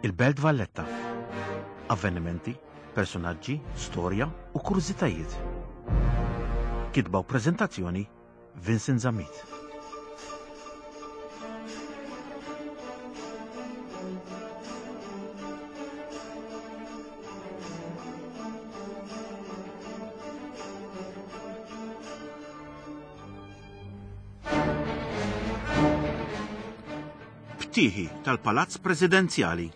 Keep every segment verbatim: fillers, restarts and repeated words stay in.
Il-Belt Valletta. Avvenimenti, personaġġi, storja u kurżitajiet. Kitba u preżentazzjoni Vincent Zammit. Btieħi tal-Palazz Presidenzjali.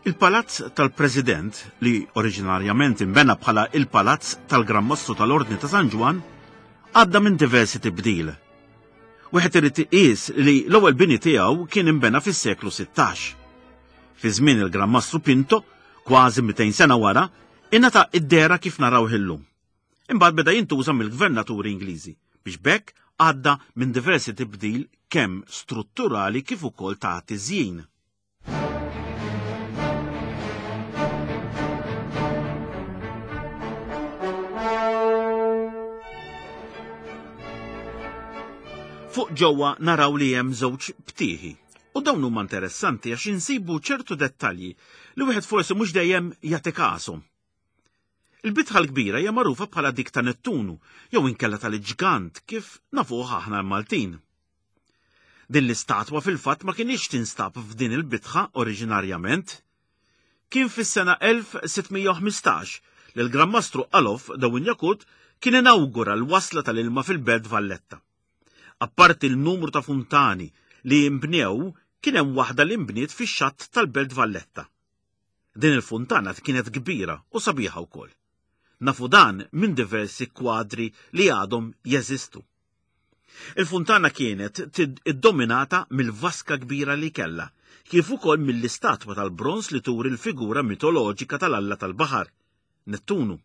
Il-Palazz tal-President, li oriġinarjament inbena bħala il-Palazz tal-Gran Mastru tal-Ordni ta' San Ġwann, għadda minn diversi tibdil. Wieħed irid iqis li l-ewwel bini tiegħu kien inbena fis-seklu sittax. Fi żmien il-Gran Mastru Pinto, kważi mitejn sena wara, ingħata id-dehra kif narawh illum. Imbagħad beda jintuża mill-gvernaturi Ingliżi biex b'hekk għadda minn diversi tibdil kemm strutturali kif ukoll ta' tiżjin. Fuq ġewwa naraw li hemm żewġ btieħi. U dawn huma interessanti għax insibu ċertu dettalji li wieħed forsi mhux dejjem jagħti kashom. Il-bitħa l-kbira hija magħrufa bħala dik ta' Nettunu jew inkella tal-ġgant kif nafuh aħna l-Maltin. Din l-istatwa fil-fatt ma kienx tinstab f'din il-bitħa oriġinarjament. Kien fis-sena elf sitt mija u ħmistax li l-Gran Mastru Alof de Wignacourt kien inawgura l-wasla tal-ilma fil-Belt Valletta. Apparti l-numru ta' funtani li imbnew, kien hemm waħda li nbniet fix-xatt tal-Belt Valletta. Din il-funtana kienet kbira u sabiħa wkoll. Nafu dan minn diversi kwadri li għadhom jeżistu. Il-funtana kienet tid-, iddominata mill-vaska kbira li kellha, kif ukoll mill-istatwa tal-bronż li turi l-figura mitoloġika tal-Alla tal-Baħar, Nettunu.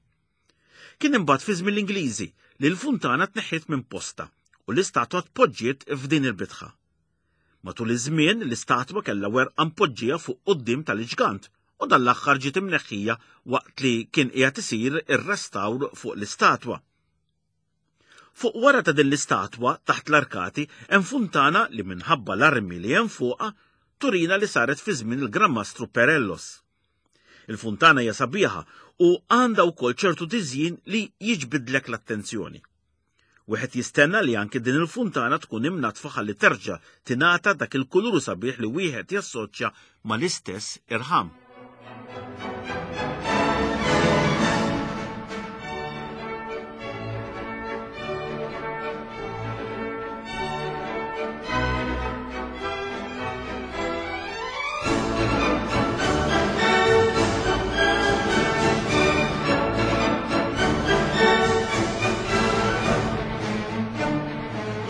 Kien imbagħad fi żmien l-Ingliżi li l-funtana tneħħiet minn posta u l-istatwa tpoġġiet f'din il-bitħa. Matul iż-żmien l-istatwa kellha werqa mpoġġija fuq quddiem tal-ġgant u dan l-aħħar ġiet imneħħija waqt li kien qiegħed isir ir-restawr fuq l-istatwa. Fuq wara ta' din l-istatwa taħt l-arkati hemm funtana li minħabba l-armi li hemm fuqha turina li saret fi żmien il-Gran Mastru Perellos. Il-funtana hija sabiħa u għandha wkoll ċertu tiżjin li jiġbidlek l-attenzjoni. Wieħed jistenna li anke din il-funtana tkun imnatfa ħalli terġa' tingħata dak il-kulur sabiħ li wieħed jassoċja mal-istess irħam.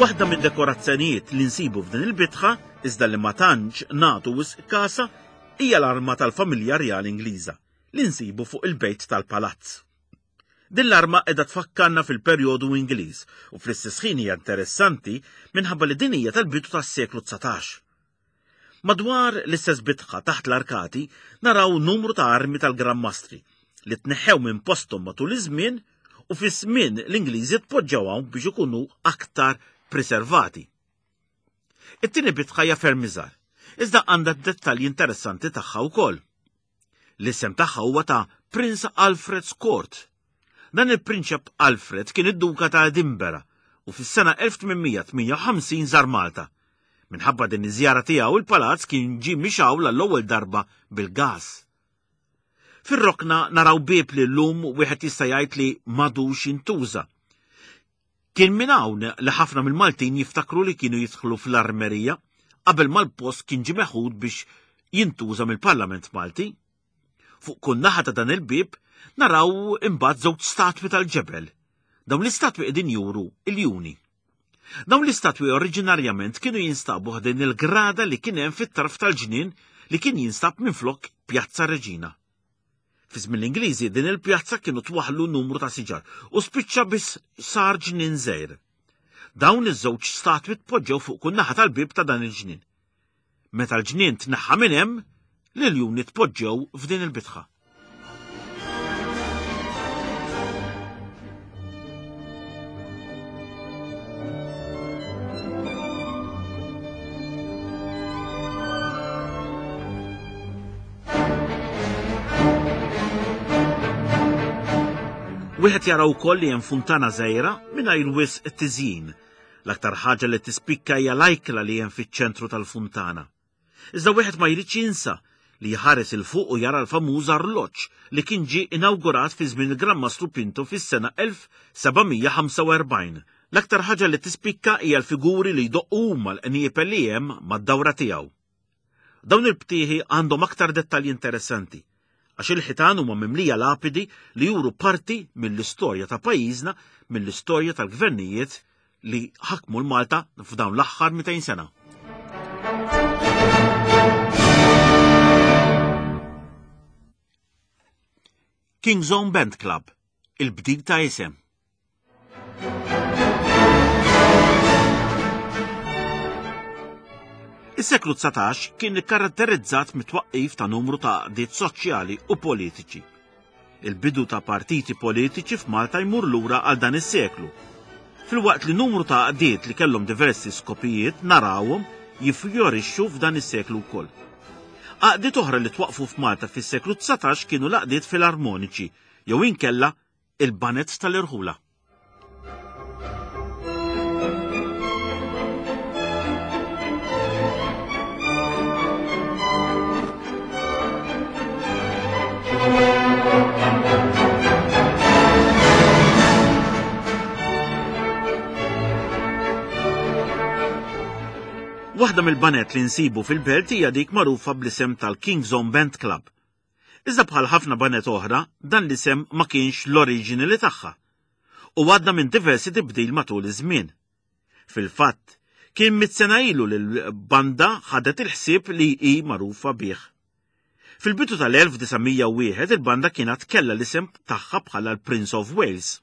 Waħda mid-dekorazzjonijiet li nsibu f'din il-bitħa, iżda li ma tantx nagħtu wisq kasa, hija l-arma tal-familja Rjali Ingliża li nsibu fuq il-bejt tal-palazz. Din l-arma qiegħda tfakkarna fil-perjodu Ingliż u fl-istess ħin hija interessanti minħabba li din hija tal-bidu tas-seklu dsatax. Madwar l-istess bitħa taħt l-arkati naraw numru ta' armi tal-Gran Mastri li tneħħew minn posthom matul iż-żmien u fi żmien l-Ingliżi tpoġġew hawn biex ikunu aktar preservati. It-tieni bitħa hija ferm iżgħar, iżda għandha dettalji interessanti tagħha wkoll. L-isem tagħha huwa ta' Prince Alfred's Court. Dan il-Prinċep Alfred kien id-Duka ta' Edinburgh u fis-sena elf tmien mija tmienja u ħamsin żar Malta. Minħabba din iż-żjara tiegħu il-palazz kien ġie mixgħul għall-ewwel darba bil-gas. Fir-rokna naraw bieb li llum wieħed jista' jgħid li m'għadux jintuża. Kien minn hawn li ħafna mill-Maltin jiftakru li kienu jidħlu fl-armerija qabel ma l-post kien ġie meħud biex jintuża mill-Parlament Malti. Fuq kull naħa ta' dan il-bieb naraw imbagħad żewġ statwi tal-ġebel. Dawn l-istatwi qegħdin juru iljuni. Dawn l-istatwi oriġinarjament kienu jinstabu ħdejn il-grada li kien hemm fit-tarf tal-ġnien li kien jinstab minflok Pjazza Reġina. Fi żmien l-Ingliżi din il-pjazza kienu twaħlu numru ta' siġar u spiċċa biss sar ġnien żgħir. Dawn iż-żewġ statwi tpoġġew fuq kull naħa tal-bieb ta' dan il-ġnien. Meta l-ġnien tneħħa minn hemm, l-iljuni tpoġġew f'din il-bitħa. Wieħed jara wkoll li hemm funtana żgħira mingħajr wisq tiżjin. L-aktar ħaġa li tispikka hija l-ajkla li hemm fiċ-ċentru tal-funtana. Iżda wieħed ma jridx jinsa li jħares 'il fuq u jara l-famuż arloġġ li kien ġie inawgurat fi żmien il-Gran Mastru Pinto fis-sena elf seba' mija ħamsa u erbgħin. L-aktar ħaġa li tispikka hija l-figuri li jdoqqu huma l-qniepel li hemm mad-dawra tiegħu. Dawn il-btieħi għandhom aktar dettalji interessanti, għax il-ħitan huma mimlija lapidi li juru parti mill-istorja ta' pajjiżna, mill-istorja tal-gvernijiet li ħakmu l-Malta f'dawn l-aħħar mitejn sena. King's Own Band Club, il-bdil ta' isem. Is-seklu dsatax kien ikkaratterizzat mit-twaqqif ta' numru ta' għaqdiet soċjali u politiċi. Il-bidu ta' partiti politiċi f'Malta jmur lura għal dan is-seklu. Filwaqt li numru ta' għaqdiet li kellhom diversi skopijiet narawhom jiffjorixxu f'dan is-seklu wkoll. Għaqdiet oħra li twaqfu f'Malta fis-seklu dsatax kienu l-għaqdiet filarmoniċi jew inkella il-baned tal-irħula. Waħda mill-banet li nsibu fil-belt hija dik magħrufa bl-isem tal-King's Own Band Club. Iżda bħal ħafna banet oħra, dan l-isem ma kienx l-oriġini li tagħha u għadda minn diversi tibdil matul iż-żmien. Fil-fatt, kien mitt sena ilu li l-banda ħadet il-ħsieb li hi magħrufa bih. Fil-bidu tal-elf disa' mija u wieħed il-banda kienet kellha l-isem tagħha bħala l-Prince of Wales.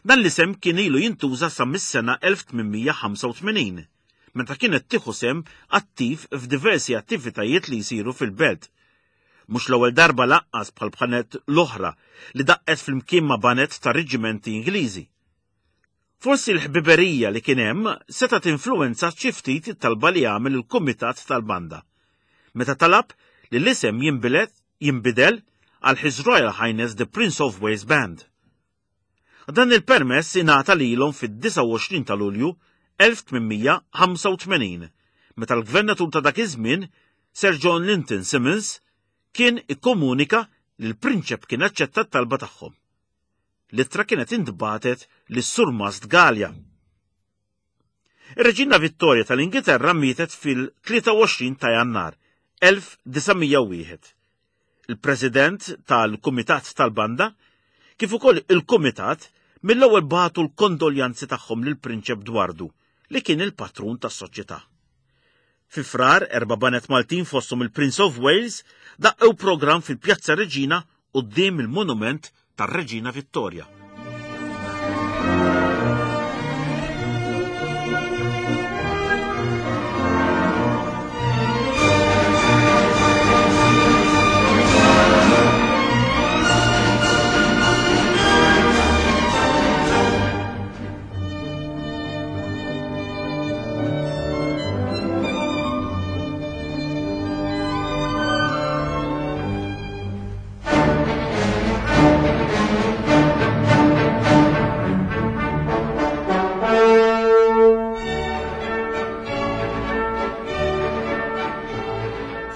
Dan l-isem kien ilu jintuża sa mis-sena elf tmien mija ħamsa u tmenin, meta kienet tieħu sehem attiv f'diversi attivitajiet li jsiru fil-belt. Mhux l-ewwel darba laqqas bħal bħanet l-oħra li daqqet flimkien ma' banet ta' reġimenti Ingliżi. Forsi l-ħbiberija li kien hemm setgħet influwenza xi ftit it-talba li għamel il-kumitat tal-banda, meta talab li l-isem jinbidel, jinbidel għal His Royal Highness the Prince of Wales Band. Dan il-permess ingħata lilhom fid-disgħa u għoxrin ta' Lulju elf tmien mija ħamsa u tmenin, meta l-gvernatur ta' dak iż-żmien, Sir John Linton Simmons, kien ikkomunika li l-prinċep kien aċċetta t-talba tagħhom. L-ittra kienet intbagħtet lis-Surmast Galea. Ir-Reġina Vittoria tal-Ingilterra mietet fil-tlieta u għoxrin ta' Jannar elf disa' mija u wieħed. Il-President tal-Kumitat tal-Banda, kif ukoll il-Kumitat, mill-ewwel bagħtu l-kondoljanzi tagħhom lill-Prinċep Dwardu, li kien il-patrun tas-soċjetà. Fi Frar, erba' banet Maltin fosthom il-Prince of Wales daqqew programm fil-Pjazza Reġina quddiem il-monument tar-Reġina Vittoria.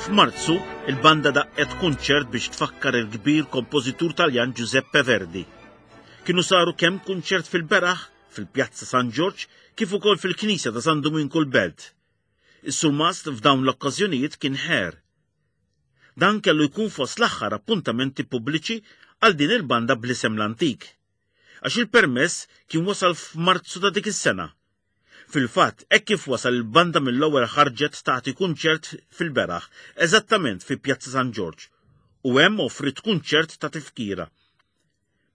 F'Marzu, il-banda daqqet kunċert biex tfakkar il-kbir kompożitur Taljan Giuseppe Verdi. Kienu saru kemm kunċert fil-beraħ, fil-Pjazza San Ġorġ, kif ukoll fil-Knisja ta' San Duminku l-Belt. Is-surmast f'dawn l-okkażjonijiet kien ħer. Dan kellu jkun fost l-aħħar appuntamenti pubbliċi għal din il-banda bl-isem l-antik, għax il-permess kien wasal f'Marzu ta' dik is-sena. Fil-fatt, hekk kif wasal il-banda mill-ewwel ħarġet tagħti kunċert fil-beraħ, eżattament fi Pjazza San Ġorġ, u hemm offrit kunċert ta' tifkira.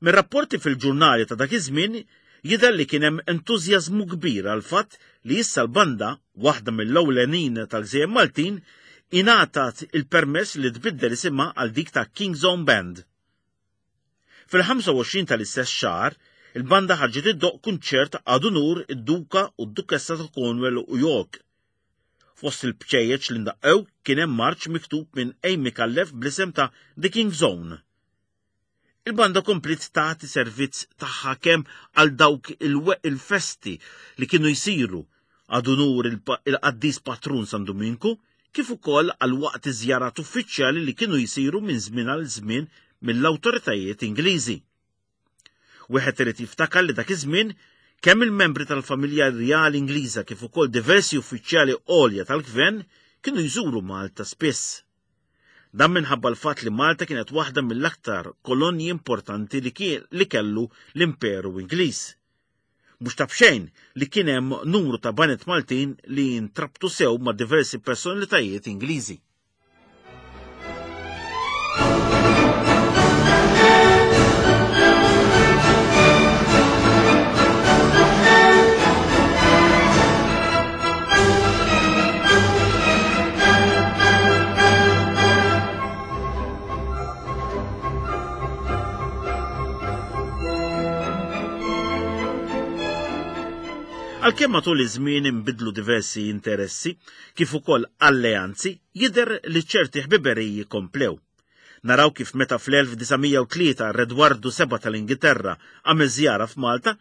Mir-rapporti fil-ġurnali ta' dak iż-żmien jidher li kien hemm entużjażmu kbir għal fatt li issa l-banda, waħda mill-ewlenin tal-Gżejjer Maltin, ingħatat il-permess li tbiddel isimha għal dik ta' King's Own Band. Fil-ħamsa u għoxrin tal-istess xahar, il-banda ħarġet iddoqq kunċert għad unur id-Duka u d-Dukessa ta' Cornwall u York. Fost il-bċejjeċ li ndaqqew kien hemm marċ miktub minn Amy Micallef bl-isem ta' The King's Own. Il-banda kompliet tagħti servizz tagħha kemm għal dawk il-festi li kienu jsiru għad unur il-qaddis patrun San Duminku, kif ukoll għal waqt iż-żjarat uffiċjali li kienu jsiru minn żmien għal żmien mill-awtoritajiet Ingliżi. Wieħed irid jiftakar li dak iż-żmien kemm il-membri tal-familja rjali Ingliża kif ukoll diversi uffiċjali għolja tal-gvern kienu jżuru Malta spiss. Dan minħabba l-fatt li Malta kienet waħda mill-aktar kolonji importanti li, li kellu l-Imperu Ingliż. Mhux ta' b'xejn li kien hemm numru ta' baned Maltin li jintrabtu sew ma' diversi personalitajiet Ingliżi. Għalkemm matul iż-żmien inbidlu diversi interessi, kif ukoll alleanzi, jidher li ċerti ħbiberiji komplew. Naraw kif meta fl-elf disa' mija u tlieta Redwardu seba' tal-Ingilterra għamel żjara f'Malta,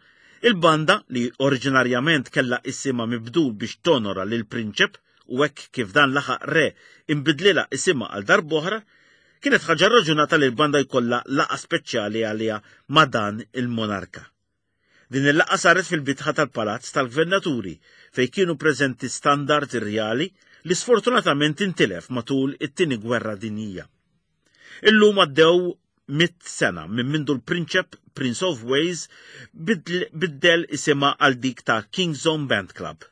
il-banda li oriġinarjament kellha isimha mibdul biex tonora lil prinċep u hekk kif dan laħaq re imbidlilha isimha għal darb'oħra, kienet ħaġa raġunata li l-banda jkollha laqgħa speċjali għaliha ma' dan il-monarka. Din il-laqgħa saret fil-bitħa tal-Palazz tal-Gvernaturi fejn kienu preżenti standard irjali li sfortunatament intilef matul it-tieni gwerra dinjija. Illum għaddew mitt sena minn mindu l-Prinċep Prince of Wales biddel isimha għal dik ta' King's Own Band Club.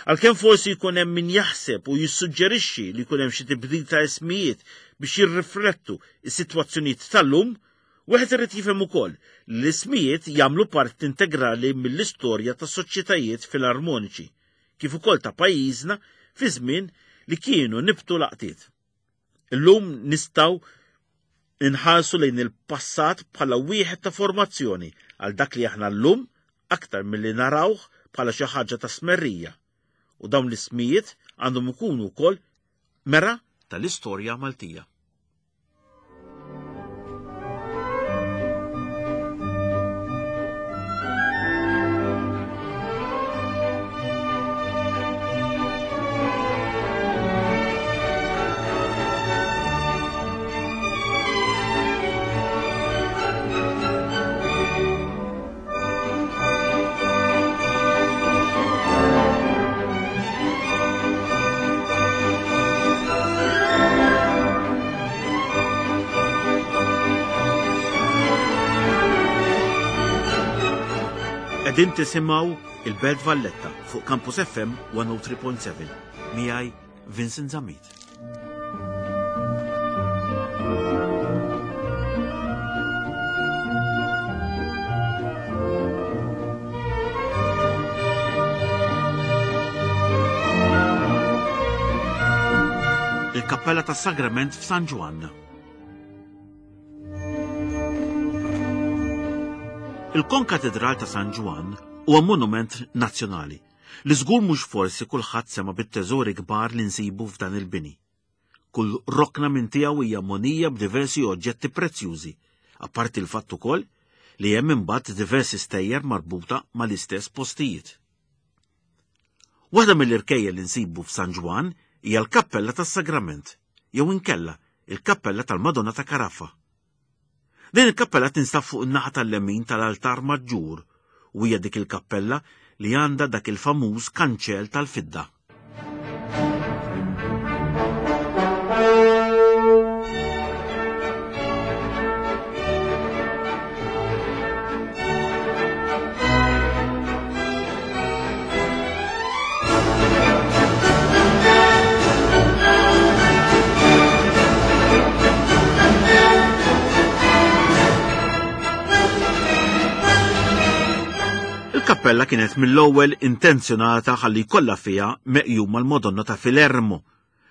Għalkemm forsi jkun hemm min jaħseb u jissuġġerixxi li jkun hemm xi tibdil ta' ismijiet biex jirriflettu s-sitwazzjonijiet tal-lum, wieħed irid jifhem ukoll li l-ismijiet jagħmlu parti integrali mill-istorja ta' soċjetajiet filarmoniċi, kif ukoll ta' pajjiżna fi żmien li kienu nibtu laqtiet. Illum nistgħu inħarsu lejn il-passat bħala wieħed ta' formazzjoni għal dak li aħna llum aktar milli narawh bħala xi ħaġa ta' smerrija. U dawn l-ismijiet għandhom ikunu wkoll mera tal-istorja Maltija. Qegħdin tisimgħu il-Belt Valletta fuq Campus F M one oh three point seven. Miegħi Vincent Zammit. Il-Kappella tas-Sagrament f'San Ġwann. Il-Konkatedral ta' San Ġwann huwa monument nazzjonali li żgur mhux forsi kulħadd sema' bit-teżori kbar li nsibu f'dan il-bini. Kull rokna minn tiegħu hija monija b'diversi oġġetti prezzjużi, apparti l-fatt ukoll li hemm imbagħad diversi stejjer marbuta mal-istess postijiet. Waħda mill-irkejjel li nsibu f'San Ġwann hija l-Kappella tas-Sagrament, jew inkella il-Kappella tal-Madonna ta' Caraffa. Din il-kappella tinstab fuq in-naħa tal-lemin tal-altar maġġur u hija dik il-kappella li għandha dak il-famuż kanċell tal-fidda. Il-kappella kienet mill-ewwel intenzjonata ħalli jkollha fiha meqjuma l-Madonna ta' Filermo.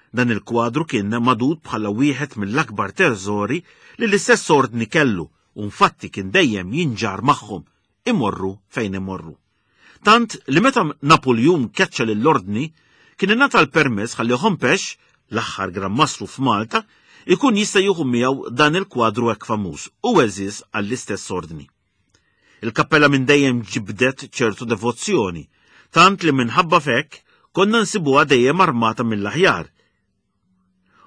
Dan il-kwadru kien madud bħala wieħed mill-akbar teżori li l-istess ordni kellu u infatti kien dejjem jinġar magħhom imorru fejn imorru. Tant li meta Napoleon keċċa lill-ordni kien ingħata l-permess ħalli Hompesch, l-aħħar Gran Mastru f'Malta, ikun jista' jieħu miegħu dan il-kwadru hekk famuż u għeżież għall-istess ordni. Il-kappella minn dejjem ġibdet ċertu devozzjoni, tant li minħabba f'hekk konna nsibuha dejjem armata mill-aħjar.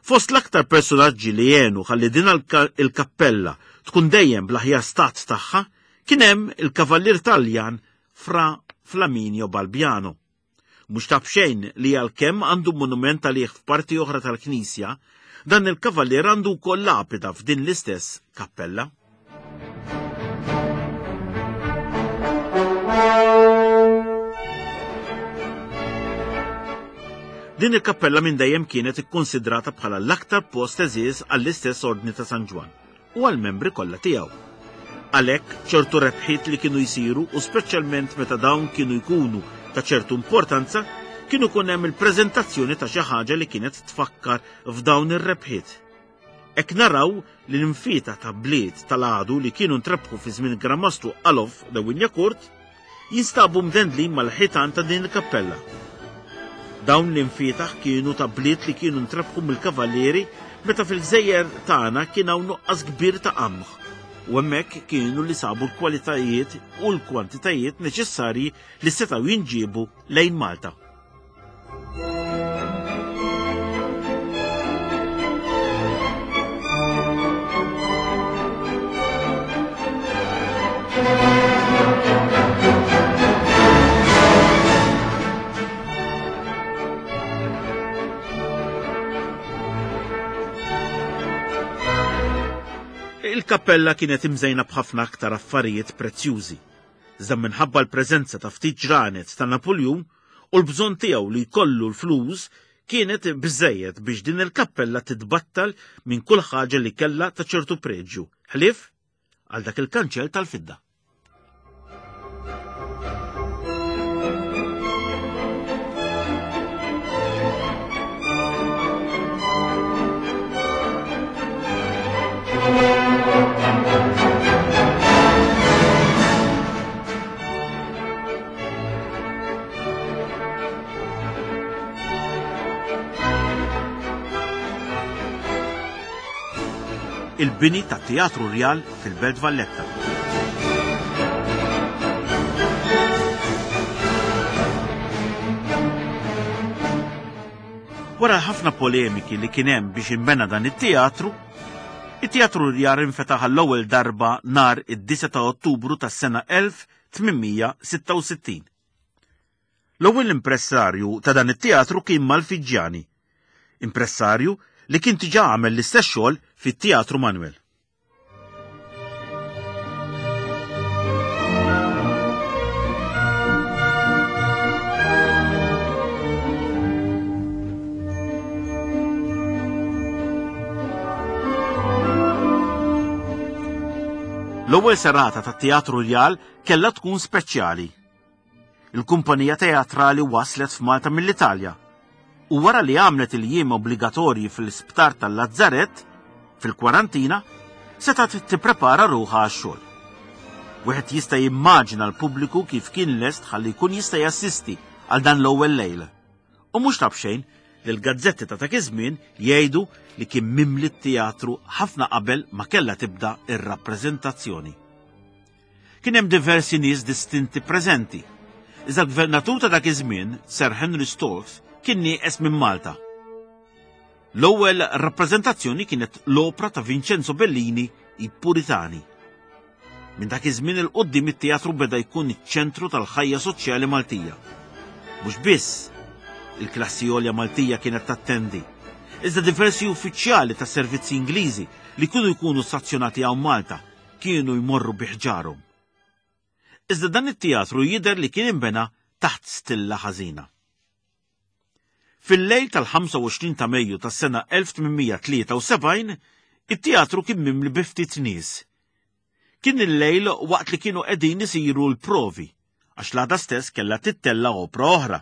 Fost l-aktar personaġġi li għenu ħalli din il-kappella tkun dejjem bl-aħjar stat tagħha kien hemm il-kavallier Taljan Fra Flaminio Balbiano. Mhux ta' b'xejn li għalkemm għandu monument għalih f'parti oħra tal-knisja, dan il-kavallier għandu wkoll lapida f'din l-istess kappella. Din il-kappella minn dejjem kienet ikkonsidrata bħala l-aktar post għeżież għall-istess Ordni ta' San Ġwann u għall-membri kollha tiegħu. Għalhekk ċertu rebħiet li kienu jsiru u speċjalment meta dawn kienu jkunu ta' ċertu importanza, kienu jkun hemm il-preżentazzjoni ta' xi ħaġa li kienet tfakkar f'dawn ir-rebħiet. Hekk naraw li l-infieta ta' bliet tal-għadu li kienu ntrebħu fi żmien Gran Mastru Alof de Wignacourt jinstabu mdendlin mal-ħitan ta' din il-kappella. Dawn l-infietaħ kienu ta' bliet li kienu ntrebħu mill-kavallieri meta fil-gżejjer tagħna kien hawn nuqqas kbir ta' qamħ u hemmhekk kienu li sabu l-kwalitajiet u l-kwantitajiet neċessarji li setgħu jinġiebu lejn Malta. Il-kappella kienet imżejna b'ħafna aktar affarijiet prezzjużi. Iżda minħabba l-preżenza ta' ftit ġranet ta' Napoljun u l-bżonn tiegħu li jkollu l-flus kienet biżżejjed biex din il-kappella titbattal minn kull ħaġa li kellha ta' ċertu preġju, ħlief għal dak il-kanċell tal-fidda. Il-bini ta' Teatru Rjal fil-Belt Valletta. Wara ħafna polemiki li kien hemm biex inbena dan it-teatru, it-Teatru Rjal infetaħ għall-ewwel darba nhar id-disgħa ta' Ottubru tas-sena elf tmien mija sitta u sittin. L-ewwel impressarju ta' dan it-teatru kien Malfiġġjani, impressarju li kien diġà għamel l-istess xogħol fit-Teatru Manuel. L-ewwel serata tat-Teatru Rjal kellha tkun speċjali. Il-kumpanija teatrali waslet f'Malta mill-Italja u wara li għamlet il-jiem obbligatorji fl-isptar tal-Lazzaret, fil-kwarantina, setgħet tipprepara ruħha għax-xogħol. Wieħed jista' jimmaġina l-pubbliku kif kien lest ħalli jkun jista' jassisti għal dan l-ewwel lejl. U mhux ta' b'xejn li l-gazzetti ta' dak iż-żmien jgħidu li kien mimli t-teatru ħafna qabel ma kellha tibda ir-rappreżentazzjoni. Kien hemm diversi nies distinti preżenti. Iżda l-gvernatur ta' dak iż-żmien, Sir Henry Stokes, kien nieqes minn Malta. L-ewwel rappreżentazzjoni kienet l-opra ta' Vincenzo Bellini, I Puritani. Minn dak iż-żmien il quddiem it-teatru beda jkun iċ-ċentru tal-ħajja soċjali Maltija. Mhux biss il-klassi għolja Maltija kienet tattendi, iżda diversi uffiċjali ta' servizzi Ingliżi li kienu jkunu stazzjonati hawn Malta kienu jmorru bi ħġarhom. Iżda dan it-teatru jidher li kien inbena taħt stilla ħażina. Fil-lejl tal-ħamsa u għoxrin ta' Mejju tas-sena elf tmien mija tlieta u sebgħin, it-teatru kien mimli bi ftit nies. Kien il-lejl waqt li kienu qegħdin isiru l-provi, għax l-għada stess kellha tittella opra oħra.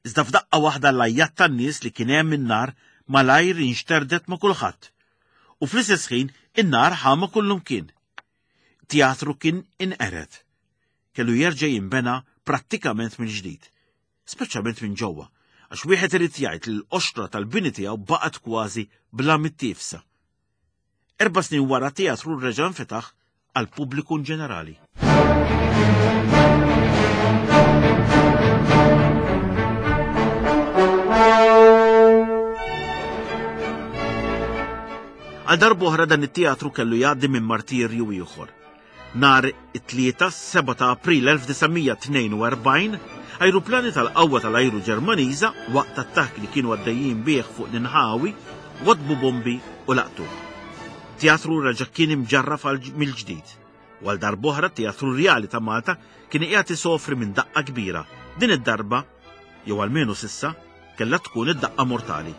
Iżda f'daqqa waħda l-ajjat tan-nies li kien hemm in-nar malajr inxterdet ma' kulħadd. U fl-istess ħin in-nar ħama kullumkien. Teatru kien inqered. Kellu jerġa' jinbena prattikament mill-ġdid, speċjalment minn ġewwa, Għax wieħed irid jgħid li l-qoxra tal-bini tiegħu baqgħet kważi bla mittiefsa. Erba' snin wara teatru reġa' nfetaħ għal pubbliku ġenerali. Għal darb'oħra dan it-teatru kellu jgħaddi minn martirju ieħor. Nhar it-tlieta seba' ta' April elf disa' mija tnejn u erbgħin, ajruplani tal-qawwa tal-ajru Ġermaniża waqt attakk li kienu għaddejjin bih fuq l-inħawi wadbu bombi u laqtu. Teatru reġa' kien imġarraf mill-ġdid. U għal darb'oħra Teatru Rjali ta' Malta kien qiegħed isofri minn daqqa kbira. Din id-darba, jew almenu sissa, kellha tkun id-daqqa mortali.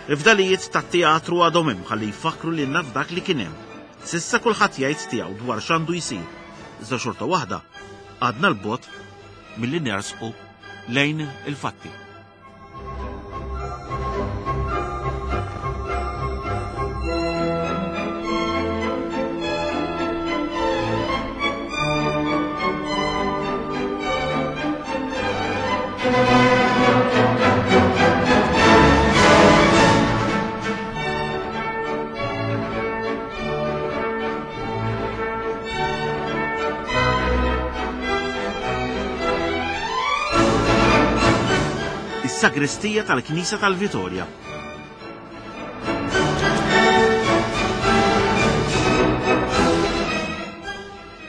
Il-fdalijiet tat-teatru għadhom hemm ħalli jfakru lilna f'dak li kien hemm. Sissa kulħadd jgħid tiegħu dwar x'għandu jsir. Iżda xorta waħda għadna l-bogħod milli nersqu lejn il-fatti. Is-sagristija tal-Knisja tal-Vitorja.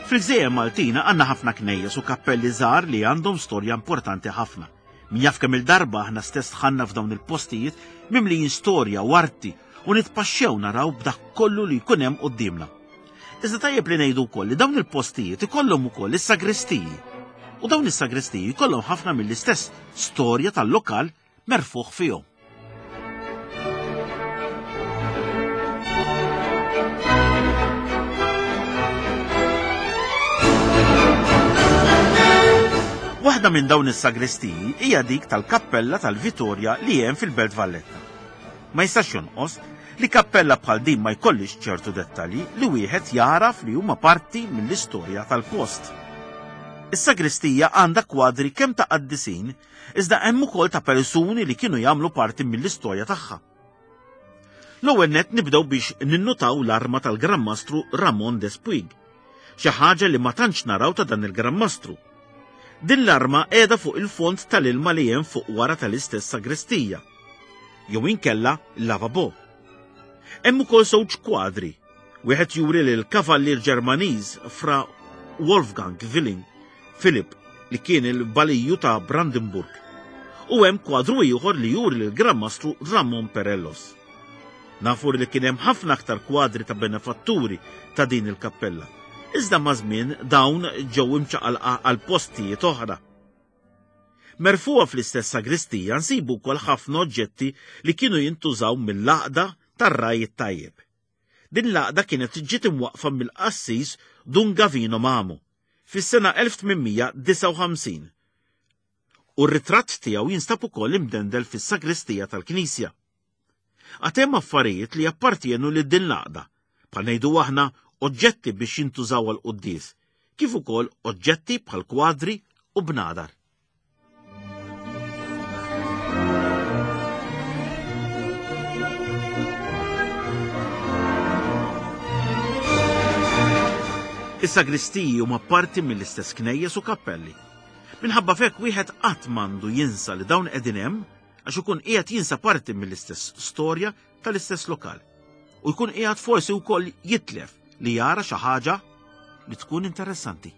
Fil-Gżejjer Maltina għandna ħafna knejjes u kappelli żgħar li għandhom storja importanti ħafna. Min jaf kemm il-darba aħna stess dħalna f'dawn il-postijiet mimlijin storja u arti u nitpaxxew naraw b'dak kollu li jkun hemm quddiemna. Iżda tajjeb li ngħidu wkoll li dawn il-postijiet ikollhom ukoll is-sagristiji. U dawn is-sagristiji jkollhom ħafna mill-istess storja tal-lokal merfuħ fihom. Waħda minn dawn is-sagristiji hija dik tal-Kappella tal-Vitorja li hemm fil-Belt Valletta. Ma jistax jonqos li kappella bħal din ma jkollix ċertu dettalji li wieħed jaraf li huma parti mill-istorja tal-post. Is-sagristija għandha kwadri kemm ta' qaddisin, iżda hemm ukoll ta' persuni li kienu jagħmlu parti mill-istorja tagħha. L-ewwel nett nibdew biex ninnutaw l-arma tal-Gran Mastru Ramon Despuig, xi ħaġa li ma tantx naraw ta' dan il-Gran Mastru. Din l-arma qiegħda fuq il-fond tal-ilma li hemm fuq wara tal-istess sagristija, jew inkella l-lavabo. Hemm ukoll żewġ kwadri, wieħed juri lil kavallier Ġermaniż Fra Wolfgang Willing Philip li kien il-baliju ta' Brandenburg, u hemm kwadru ieħor li juri lil Gran Mastru Ramon Perellos. Nafu li kien hemm ħafna aktar kwadri ta' benefatturi ta' din il-kappella, iżda ma' żmien dawn ġew imċaqalqa għal postijiet oħra. Merfuha fl-istess sagristija nsibu wkoll ħafna oġġetti li kienu jintużaw mill-għaqda tar-raj it-tajjeb. Din l-għaqda kienet ġiet imwaqqfa mill-qassis Dun Gavino Mamo fis-sena elf tmien mija disgħa u ħamsin. U r-ritratt tiegħu jinstab ukoll imdendel fis-sagristija tal-Knisja. Għad hemm affarijiet li jappartienu lil din l-għaqda, bħal ngħidu aħna oġġetti biex jintużaw għal quddies, kif ukoll oġġetti bħal kwadri u bnadar. Is-sagristiji huma parti mill-istess knejjes u kappelli. Minħabba f'hekk wieħed qatt m'għandu jinsa li dawn qegħdin hemm għax ikun qiegħed jinsa parti mill-istess storja tal-istess lokal. U jkun qiegħed forsi wkoll jitlef li jara xi ħaġa li tkun interessanti.